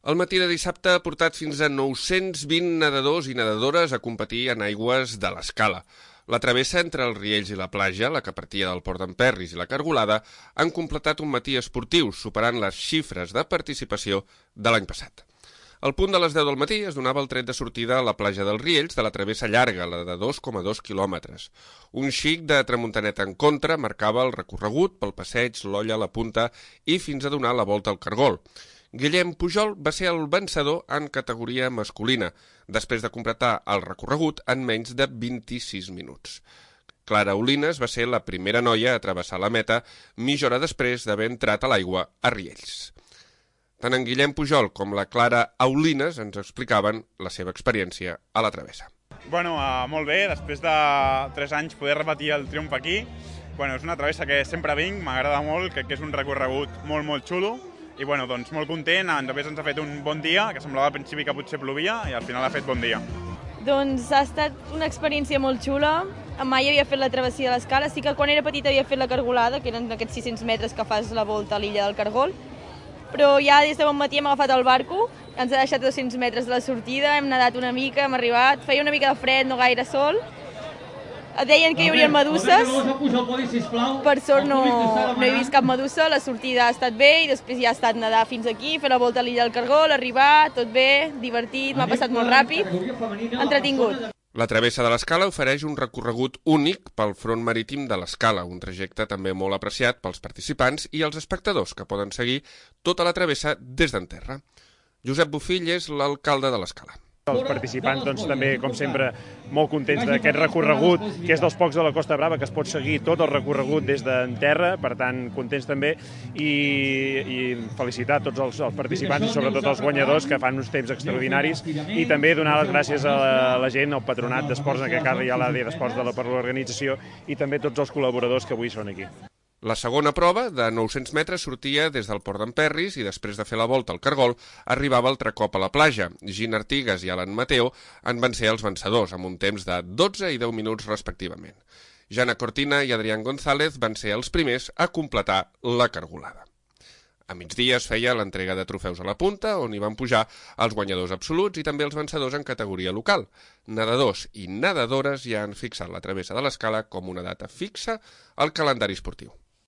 El matí de dissabte ha portat fins a 920 nedadors i nedadores a competir en aigües de l'Escala. La travessa entre els Riells i la platja, la que partia del Port d'en Perris i la Cargolada, han completat un matí esportiu, superant les xifres de participació de l'any passat. Al punt de les 10 del matí es donava el tret de sortida a la platja dels Riells de la travessa llarga, la de 2,2 quilòmetres. Un xic de tramuntanet en contra marcava el recorregut pel passeig, l'Olla, la Punta i fins a donar la volta al Cargol. Guillem Pujol va ser el vencedor en categoria masculina, després de completar el recorregut en menys de 26 minuts. Clara Olines va ser la primera noia a travessar la meta mitja hora després d'haver entrat a l'aigua a Riells. Tant en Guillem Pujol com la Clara Aulines ens explicaven la seva experiència a la travessa. Molt bé, després de 3 anys poder repetir el triomf aquí. És una travessa que sempre vinc, m'agrada molt, crec que és un recorregut molt xulo. I molt content, també ens ha fet un bon dia, que semblava al principi que potser plovia i al final ha fet bon dia. Doncs ha estat una experiència molt xula. Mai havia fet la travessia de l'Escala, sí que quan era petita havia fet la Cargolada, que eren aquests 600 metres que fas la volta a l'illa del Cargol, però ja des de bon matí hem agafat el barco, ens ha deixat 200 metres de la sortida, hem nedat una mica, hem arribat, feia una mica de fred, no gaire sol. Deien que hi haurien meduses, per sort no he vist cap medusa, la sortida ha estat bé i després ja ha estat nedar fins aquí, fer la volta a l'illa del Cargol, arribar, tot bé, divertit, m'ha passat molt ràpid, entretingut. La travessa de l'Escala ofereix un recorregut únic pel front marítim de l'Escala, un trajecte també molt apreciat pels participants i els espectadors que poden seguir tota la travessa des d'en terra. Josep Bofill és l'alcalde de l'Escala. Els participants, també, com sempre, molt contents d'aquest recorregut, que és dels pocs de la Costa Brava que es pot seguir tot el recorregut des d'en terra, per tant, contents també, i felicitar tots els participants i sobretot els guanyadors que fan uns temps extraordinaris i també donar les gràcies a la gent, al patronat d'esports, en aquest cas hi ha l'AD d'Esports per l'organització i també tots els col·laboradors que avui són aquí. La segona prova, de 900 metres, sortia des del Port d'en Perris i després de fer la volta al Cargol arribava altre cop a la platja. Gina Artigas i Alan Mateo en van ser els vencedors, amb un temps de 12 i 10 minuts respectivament. Jana Cortina i Adrián González van ser els primers a completar la Cargolada. A migdia es feia l'entrega de trofeus a la punta, on hi van pujar els guanyadors absoluts i també els vencedors en categoria local. Nedadors i nedadores ja han fixat la travessa de l'Escala com una data fixa al calendari esportiu.